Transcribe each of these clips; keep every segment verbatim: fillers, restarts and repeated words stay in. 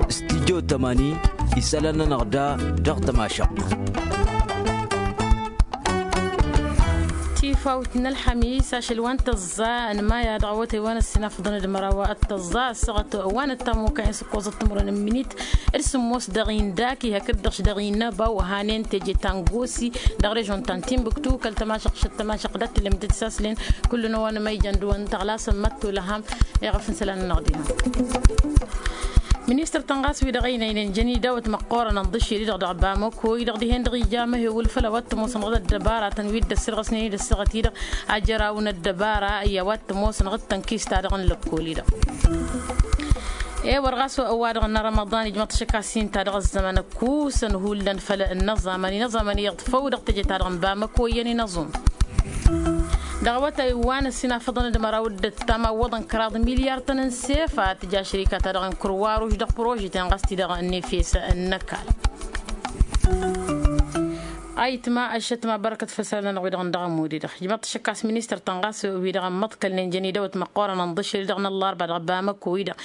Studyo tămani isălan-nănăɣ da dăɣ-tămašăɣt. Tifawt n-ălḥămis ašăl wa n-tăẓẓa n-maya dăɣ-awătay wa n-ăssinafăḍăn d-măraw tăẓẓa ăssaɣăt wa n-ăttamuka-in s-ǝkkoẓăt timǝrwen n-minit d-sǝmmos dăɣ-indaki hakd-dăɣ-s dăɣ-inăbaw hanen teje ta n-gosi dăɣ-režon ta n-tinbǝktu kăl-tămašăɣt šăt tămašăɣt dat-tǝlǝm d-tisaslen. Kullu n-ăwanămăyjăn d-wăn tăɣlasăn măttu lăham. Iɣăf n-isălan-nănăɣ diha. Ministăr-tăn ɣas wi-dăɣ ăynăynen jăn idawăt măqqoorăn ănḍǝšel-i-dăɣ dăɣ-bamăko-i-dăɣ dihen-dăɣ ija măhewǝl făll-a-wa t-ămoosăn ɣǝd ăddăbaratăn wi dd-ăssirɣăsnen-dd ăssaɣăt-i-dăɣ ajăraw n-ăddăbara i-a-wa t-ămoosăn ɣǝd tănkist-ta-dăɣ n-lăkkol-i-dăɣ. Ewăr ɣas ăwadăɣ n-arămăḍan ijmăḍ-t ašăk a-s inta dăɣ-ăzzăman ăkkusăn hullan făll-inăẓẓamăn inăẓẓamăn iyyăḍ făw dăɣ-teje-ta-dăɣ n-bamăko iyyăn inăẓum. Dăɣ-awătay wa n-ăssinafăḍăn d-măraw d-ăttam awwăḍăn kăraḍ milyar-tăn n-sefa tǝja šărika-ta-dăɣ n-kărwaruš dăɣ-prožeten ɣas-t-i-dăɣ n-efes n-ăkall. Ayǝtma ăššătma bărkăt făll-isălan-nănăɣ wi-dăɣ n-dăɣ-ămud-i-dăɣ ijmăḍ-t ašăk a-s ministăr-tăn ɣas wi-dăɣ ămmăḍkălnen jăn idawăt măqqoorăn ănḍǝšel-i-dăɣ n-ăllarba dăɣ-bamăko-i-dăɣ.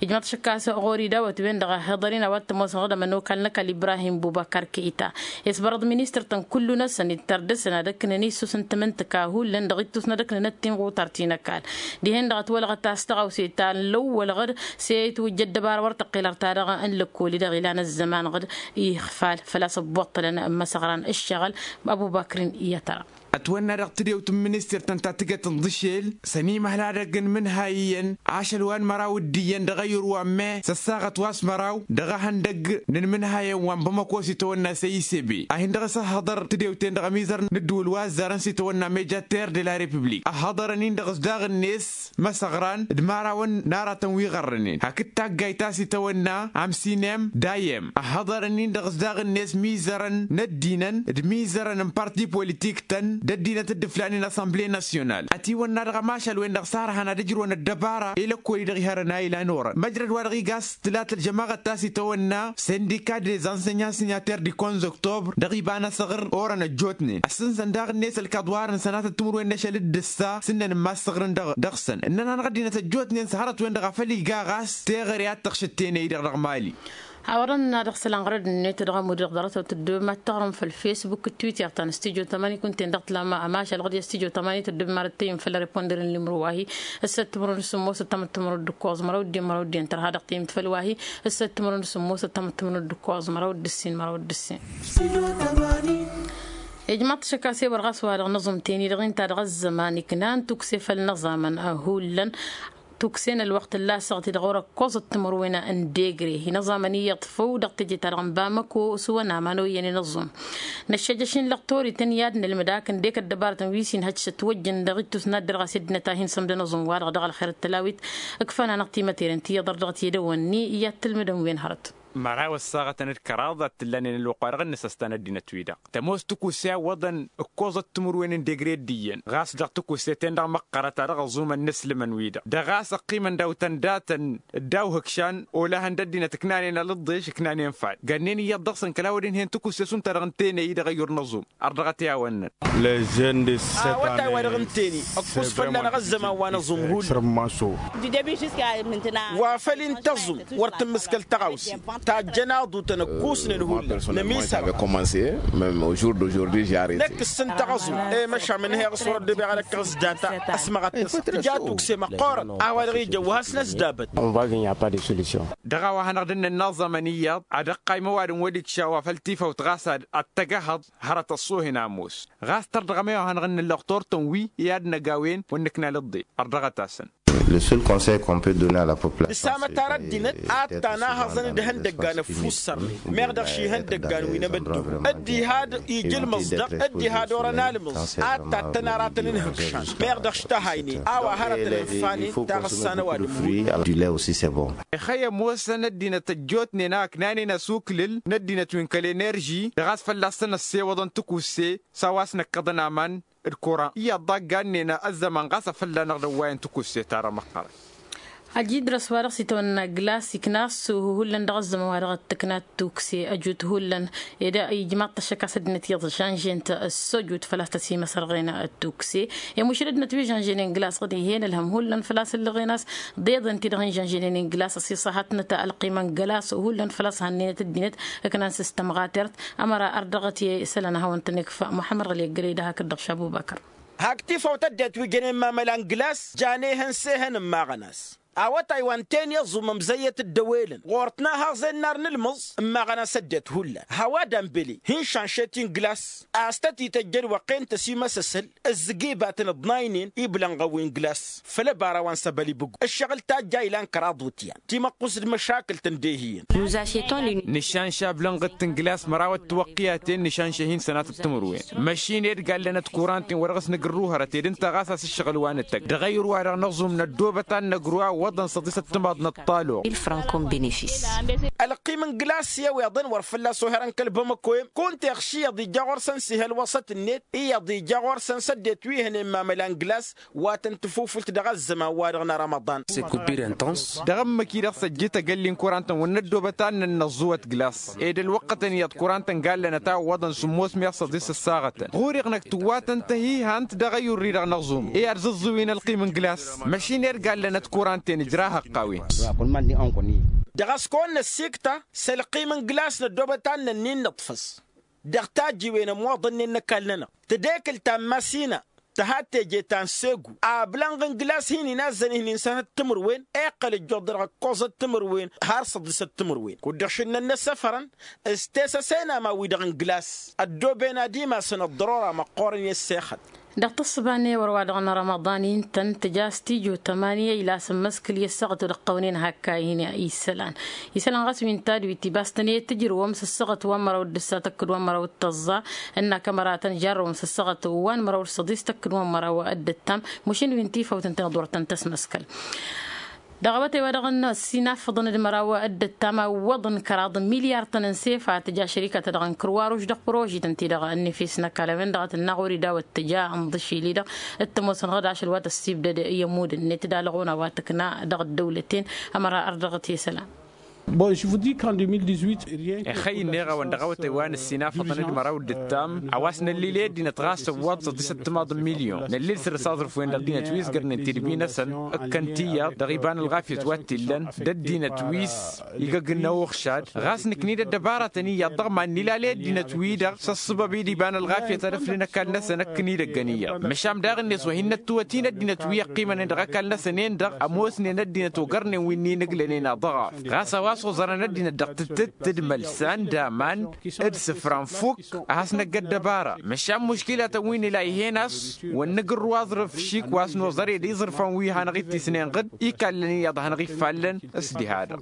Ijmăḍ-t ašăk a-s ɣur-idawăt-wen-dăɣ ăhhiḍăr-in a-wa t-ămoosăn ɣǝdăm ănokal n-ăkall ibrahim bubăkar kăyta isbărăḍ ministăr-tăn kullu-năsăn ittăr dăɣ-săn ad-ǝknăn issus n-tamǝntǝka hullan dăɣ-ittus n-ad-ǝknăn ăttinɣutar ti n-ăkall. Dihen-dăɣ ătwălɣăt a-s tăɣawse ta n-lăwwăl ɣǝd s-e-itwǝjj ăddăbara wăr tăqqilăr ta-dăɣ n-lăkkol-i-dăɣ ilan ăzzăman ɣǝd ixfal făl-a-s ăbbuṭṭălăn n-imăsăɣran ǝššăɣǝl. Abubakr-in i-ad-tăra. Ătwănna dăɣ-tadewt n-minister-tăn ta tǝgăt ǝnḍǝšel s-ănimăhla edăgg n-imǝnhay iyyăn ašăl wa n-măraw d-iyyăn dăɣ-ayǝr wa n-me s-ăssaɣăt wa s-măraw dăɣ-ehăndăgg n-inmǝnhayăn wa n-bamăko s-itawănna s-e-isebe a hin-dăɣ-s ăhhăḍăr tadewt-en-dăɣ ămizăr n-ăddǝwǝl wa ăzzarăn s-itawănna meja terre de la republik ăhhăḍăr-nin-dăɣ s-daɣ-net măsăɣran d-imărawăn n-aratăn wi ɣărrănen hakd taggayt ta s-itawănna amsinem dayem ăhhăḍăr-nin-dăɣ s-daɣ-net mizărăn n-ăddinăn d-imizărăn n-parti politik-tăn d-ăddinăt dd-ǝflanen assemble nasyonal ătiwănna dăɣ-ămašal-wen-dăɣ s-arhăn ad-ǝjrǝwăn ăddăbara i-lăkkol-i-dăɣ ihărăn a ilan orăn măjrăd wa dăɣ-iga s-tǝlat ălžămaɣăt ta s-itawănna sindika des enseignants signataires du quinze octobre dăɣ-iba n-asăɣr orăn ăjjootnen ăssǝnsăn daɣ-net ălkaḍ wa harăn sănatăt timǝrwen n-ašăl d-ǝssa s-ǝnnăn n-imassăɣrǝn dăɣ-săn ǝnnăn-anăɣ ăddinăt ăjjootnen s-hărăt-wen-dăɣ a făl iga ɣas teɣăre a t-tăɣšǝt tenăy-dăɣ dăɣ-mali. Hawăḍăn-na dăɣ-isălan ɣărăd-net dăɣ-ămud-i-dăɣ ḍarăt-wăt tǝddǝbăm ad-tăɣrǝm făll-fesbuk d-twitter ta n-studyo tămani kunta-en dăɣ-tǝlam ămašal ɣǝd i-studyo tămani tǝddǝbăm ad-tăyyǝm făll-areponder n-limru wa-hi. Ǝssăt timǝrwen d-sǝmmosăt tamǝttimǝrwen d-ǝkkoẓ măraw d-en măraw d-en tărha dăɣ-tiyǝmt făll-wa-hi. Ǝssăt timǝrwen d-sǝmmosăt tamǝttimǝrwen d-ǝkkoẓ măraw d-ǝssin măraw d-ǝssin. Ijmaḍ-t ašăk a-s ewăr ɣas wa-dăɣ n-aẓum teni-dăɣ inta dăɣ-ăzzăman iknan tukse făll-inăẓamăn hullan tukse n-ălwăqq tǝlla asăɣt-i-dăɣ orăkkoẓăt timǝrwen n-degre inăẓamăn iyyăḍ făw dăɣ-teje-ta-dăɣ n-bamăko s-wăn aman oyyăn inăẓum. Năššăjjăš-in lăqtor-ităn i-ad-nǝlmǝd akǝndek ăddăbarătăn wi s-inhăj s-ătwăjjăn dăɣ-ittus n-ad-dăr ɣas ăddinăt a hin-sămdăn aẓum-wa-dăɣ dăɣ-ălxer d-tălawit. Ǝkfăn-anăɣ timăteren ti iyyăḍăr dăɣ-tedăwănni i-ad-tǝlmǝdăn wen hărăt. Măraw ăssaɣătăn d-kăraḍ ad-t-ǝllanen ălwăqq-wa-dăɣ n-inǝsăstan ăddinăt-wi-dăɣ tămoos tikusse a ǝwwăḍăn ǝkkoẓăt timǝrwen n-degre d-iyyăn ɣas dăɣ-tikusse-ten-dăɣ măqqărăt a dăɣ-ăẓumăn n-asǝlǝmăn-wi-dăɣ dăɣ-a-s ăqqimăn daw-tăn datăn. Dd-awhǝkšan olăhăn d-ăddinăt ǝknanen alǝḍḍeš ǝknanen fad gănnen iyyăḍ dăɣ-săn kăla wăr-inhen tikusse šund-ta-dăɣ ǝntenăy-i dăɣ-ăyyur n-aẓum. Ărdăɣăt i-a-wănnăn. Awătay-wa-dăɣ ǝnteni ăkkus fălla-năɣ ăzzăman wa n-aẓum hullan. Wa făl ǝnta aẓum wăr tǝmmǝskăl tăɣawse tajjăn aḍu-tăn ǝkkusnen hullan. Nămisaɣ. Năkk ǝssǝntaɣ aẓum i-măšam ǝnhăyăɣ s-wăr ăddăbeɣ ad-ăkkăɣ s-data ăsmăɣăt-tăsăɣ tǝja tukse măqqoorăn. A-wa-dăɣ ija ăwwăh-as n-ăsdabăt. Dăɣ-a-wa hanăɣ-dd-nǝnna aẓămăn iyyăḍ ad-ăqqay măwadǝm wăl-ikša wa făl tifawt ɣas ad-tăgg-ehăḍ hărăt ăṣṣuhin ămoos. Ɣas tărdăɣăm i-wa hanăɣ-dd-nǝnna ălluɣ turtăn wi i-ad-năgawen wăr nǝkna lǝḍḍe. Ărdăɣăt-asăn. Dăɣ-samăt ara ăddinăt ad-tanahăẓăn d-ihăndăggan ăffussărnen meɣ dăɣ-ši ihăndăggan wi n-amăddu dd-iha-dd ija ǝlmǝẓ-dăɣ dd-iha-dd orăn almǝẓ ad-tattăn aratăn n-ihǝkšan meɣ dăɣ-š tăhaynen a-wa hărătăn ǝnfanen taɣǝssa n-ăwadǝm. Ixăyy ămoosăn ăddinăt ăjjootnen a ǝknanen asuklǝl n-ăddinăt wi n-kăl-enerži dăɣ-a-s fălla-săn ăssewăḍăn tikusse s-a-wa s-năkkăḍăn aman d-kuran iyyăḍ ḍaggannen ăzzăman ɣas afălla-năɣ d-ăwwayăn tikusse ta dăɣ-măqqărăn. Ăjidrăs wa-dăɣ s-itawănna glas ikna-s hullan dăɣ-ăzzăman wa-dăɣ t-tǝkna tukse ăjut hullan. Ed ijmaḍ-t ăššăk a-s ăddinăt iyyăḍ žănžen-t ăssojut făl-a-s tăsimăsărɣen tukse. Imušǝl ăddinăt wi žănženen glas ɣǝd ih'-en ǝlhăm hullan făl-a-s ǝllăɣen a-s ḍeḍen-ti-dăɣ hin-žănženen glas ăsiṣahatnăt ălqimăn glas hullan făl-a-s hannenăt ăddinăt ǝknan s-tămɣatert. Ămăra ărdăɣăt i-isălan ad-hawăn-tăn-ikf muḥămmăd ɣǝli ăggălăy d-hakd-dăɣ šabu bakăr. Hak tifawt ăddinăt wi jănen mamălan glas jan ehăn s-ehăn ǝmmaɣăn a-s awătay wa n-ten iẓum ămzăyyăt dd-ăwelăn ɣur-tăn a haẓen n-ar n-ǝlmǝẓ. Ǝmmaɣăn a-s ăddinăt hullan hawad-anbeli hin-šanšet-in glas a-s tăt-ităjjăn wăqqen tăsimăsăsăl ǝzzǝg ibatăn ǝḍnaynen iblănɣăn wi n-glas. Făll-ăbara wa n-săbăl ibǝggu ǝššăɣǝl tajja ilan kăraḍ wǝtyan timăqqust d-măšakǝlt ǝndeh iyyăn. Nǝšanša ablănɣăt n-glas măraw ăttăwăqqiyaten nǝšanša hin-sănatăt timǝrwen. Măšin ed gallănăt kuranten wa dăɣ-s nǝgǝrru hărăt ed ǝnta ɣas a-s ǝššăɣǝl wa nǝtăgg dăɣ-ayǝr wa-dăɣ năẓum năddoobăt ad-năgru a ǝwwăḍăn săḍisăt timaḍ n-ăṭṭaloɣ. Ălqim n-glas i-ăweḍăn wăr fălla-s oherăn kăl-bamăko-em kunta iɣš iyyăḍ ija ɣur-săn s-ih' ălwăṣăt-net iyyăḍ ija ɣur-săn s-ăddinăt wi hănen mamăla n-glas. Wa tăn-tǝfufǝlt dăɣ-ăzzăman-wa-dăɣ n-arămăḍan. Dăɣ-ǝmmǝk-i-dăɣ s-ăjjǝy tăgălli n-kuran-tăn wăr năddoobăt ad-nănnăẓẓuwăt glas ed ălwăqqătăn iyyăḍ kuran-tăn gallănăt a ǝwwăḍăn sǝmmos meɣ săḍis ăssaɣătăn ɣur-iɣnăk tǝwwatăn tăhihant dăɣ-ayǝrri-dăɣ năẓum i-ad-zǝẓẓǝwin ălqim n-glas. Măšin ed gallănăt kuran-ten ǝjrah ăqqawen. Dăɣ-a-s kăwăn-năssikta s-ălqim n-glas năddoobăt ad-nănnin nǝṭṭfăs dăɣ-tajjiwen ămwăḍănnen n-ăkall-nănăɣ tǝdekǝl ta n-masina tăhat teje ta n-segu. Ablănɣ n-glas hin-inazzăn ihnin sănăt timǝrwen iqqăl ǝjjuḍ dăɣ-ăkkoẓăt timǝrwen har săḍisăt timǝrwen kud-dăɣ šǝnnăn n-ăssăfărăn s-tesăsen aman-wi-dăɣ n-glas. Ăddooben ad-imasăn ăḍḍărora măqqoorăn i-ăssexăt. Dăɣ-tǝssǝba n-ewăr wa dăɣ-nărămăḍan intăn tǝja s-tijo tămani ila s-ǝmmǝskǝl i-ăssaɣăt wa dăɣ-tăwnen hakka ihin isălan. Isălan ɣas wi n-tadwit ibas tăn-e-tǝjrǝwăm s-ăssaɣăt wa n-măraw d-ǝssa tăkkǝd wa n-măraw d-tăẓẓa ǝnn'-ak ămăra tăn-jarrăwăm s-ăssaɣăt wa n-măraw d-săḍis tăkkǝd wa n-măraw d-ǝttam. Mušin wi n-tifawt ǝntăneḍ wăr tăn-tăsmăskăl. Dăɣ-awătay wa dăɣ-năssinafăḍăn d-măraw d-ǝttam a ǝwwăḍăn kăraḍ n-milyar-tăn n-sefa tǝja šărikăt-ta-dăɣ n-kărwaruš dăɣ-prožităn-ti-dăɣ ănnifis n-ăkall a-wen-dăɣ a tǝlna ɣur-i dawăt tǝja ǝnḍǝšil-i-dăɣ t-ămoosăn ɣǝdašăl wa tăssibdăd i-ămud-net d-alăɣuna wa tǝkna dăɣ-ăddăwlăten. Ămăra ărdăɣăt i-isălan. Ixăyy ǝnneɣ-awăn dăɣ-awătay wa năssinafăḍăn d-măraw d-ǝttam a-wa s-năllil i-ăddinăt ɣas ăwwăḍ săḍisăt timaḍ n-milyon năllil săr-s aẓrǝf-wen dăɣ-ăddinăt wi s-gărnen tidbi-năsăn ǝkkăn tiyyăḍ dăɣ-iba n-ălɣafyăt wa t-illăn d-ăddinăt wi s-igăgg n-ăwwăɣšad. Ɣas nǝknid ăddăbarătăn iyyăḍ dăɣ-iman nǝlal i-ăddinăt-wi-dăɣ s-ăṣṣăbăb i-dd-iba n-ălɣafyăt ad-ăflǝn ăkall-năsăn ǝkkǝn-dd ăggăn iyyăḍ măšan daɣ-net wa hin-năttǝwăt-in ăddinăt wi ăqqimănen dăɣ-ăkall-năsăn-en-dăɣ ămoosnen ăddinăt ogărnen wi n-inǝglănen aḍăɣaf. Ɣas a-wa s-oẓărăn ăddinăt dăɣ-tǝttǝtt d-mălsan d-aman d-isǝfran fukk a has-năgg ăddăbara. Măšan muškilatăn wi nǝla ih'-en a-s wăr nǝgǝrru aẓrǝf šik wa s-noẓăr ed iẓrǝfan wi hanăɣ-ittisnen ɣǝd ikallăn iyyăḍ hanăɣ-iffallăn. S-diha-dăɣ.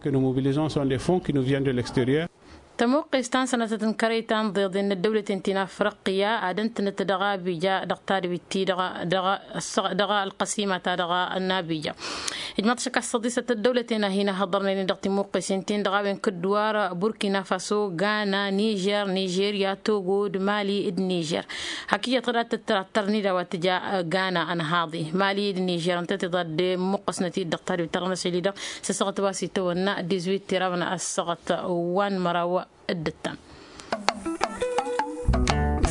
Tămuqqes ta n-sănatăt n-kărăy ta n-iḍeḍen n-ăddăwlăten ti n-afriqya ad-ǝntǝnăt dăɣ-abija dăɣ-tadwit-ti-dăɣ dăɣ-ălqăsima-ta-dăɣ n-abija. Ijmaḍ šăkk a-s săḍisăt ăddăwlăten a hin-ăhhăḍărnen-in dăɣ-timmuqqesen-tin-dăɣ a-wen kǝddǝwar burkina faso gana nižer nižerya togo d-mali d-nižer. Hak iyyăḍ tăra tăttăr-ni d-a-wa tǝja gana ănhaḍe mali d-nižer ǝnta tiḍa dd-immuqqăsnăt-dd dăɣ-tadwit ta dăɣ-năsăl-i-dăɣ s-ăssaɣăt wa s-itawănna dizuit tiraw n-ăssaɣăt wa n-măraw. D-ǝttam.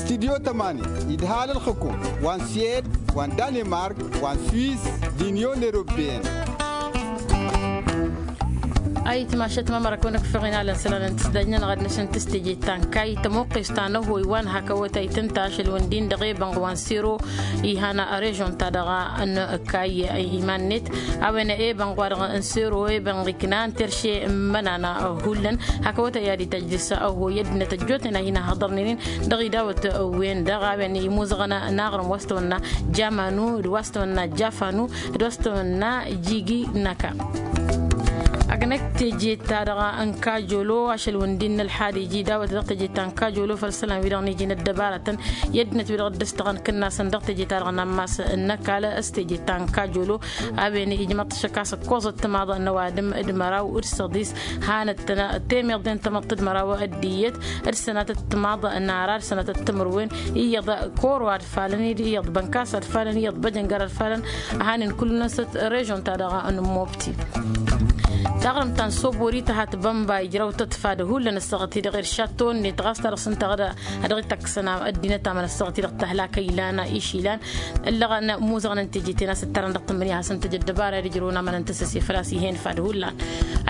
Studyo tămani idhal ălxǝkum wa n-suwed wa n-danemark wa n-suwis d-inyon europeyăn. Ayǝtmašăt ma măra kăwăn-ăkfăɣ inalăn isălan n-tǝsdajnănăɣ ad-năšăn tǝsteje ta n-kayy tămoqqes ta n-ăhoy wa n-hak awătay tǝnta ašăl wǝndin dăɣ-ebănɣ wa n-sero. Ihan režon-ta-dăɣ n-kayy iman-net a-wen ebănɣ wa-dăɣ n-sero ebănɣ iknan terše n-imănan. Hullan hak awătay ad-ităjj dăɣ-s ăhoy ăddinăt ăjjootnen a hin-ăhhăḍărnen-in dăɣ-idawăt-wen-dăɣ a-wen imuzăɣăn n-aɣrǝm wa s-tăwănna jamanu d-wa s-tăwănna jafanu d-wa s-tăwănna jigi n-ăka. Agănăk teje-ta-dăɣ n-kajolo ašăl wǝndin n-ălḥad iji dawăt dăɣ-teje ta n-kajolo făll-isălan-wi-dăɣ n-iji n-ăddăbarătăn i-ăddinăt-wi-dăɣ dd-ăstăɣăn kǝnnasăn dăɣ-teje-ta-dăɣ n-ammas n-ăkall s-teje ta n-kajolo. A-wen ijmăḍ-t ašăk a-s ǝkkoẓăt timaḍ n-ăwadǝm d-măraw d-săḍis hanăt-tăn temeḍe n-tamăḍt d-măraw d-iyyăt d-sănatăt timaḍ n-ara d-sănatăt timǝrwen iyyăḍ koro ad-falăn iyyăḍ bănkas ad-falăn iyyăḍ băjăngăr ad-falăn. A hanen kull-năsăt režon-ta-dăɣ n-mobti taɣrǝmt ta n-sobori tăhat bănba ijrăw-tăt fad hullan ăssaɣăt-i-dăɣ iršat tonnăt ɣas ta dăɣ-s ǝnta a dăɣ-ităkkăsăn ăddinăt amăn ăssaɣăt-i-dăɣ tăhlakăy ilan išilăn ǝllăɣăn muzăɣăn n-teje-ten a-s ǝttărăn dăɣ-tǝmmǝnǝya hasăn-tăj ăddăbara i-ad-ǝjrǝwăn amăn n-tăsăse făl-a-s ih'-en fad hullan.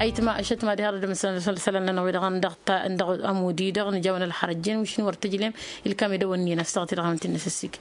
Ayǝtma ăššătma diha dd-ămsăn isălan-nănăɣ-wi-dăɣ n-dăɣ-ta n-dăɣ-ămud-i-dăɣ nǝjawăn ălxărăjjen mǝšin wăr tǝjlem ilkam edăwănni n-ăssaɣăt-i-dăɣ amăn t-in-năsăssigǝ.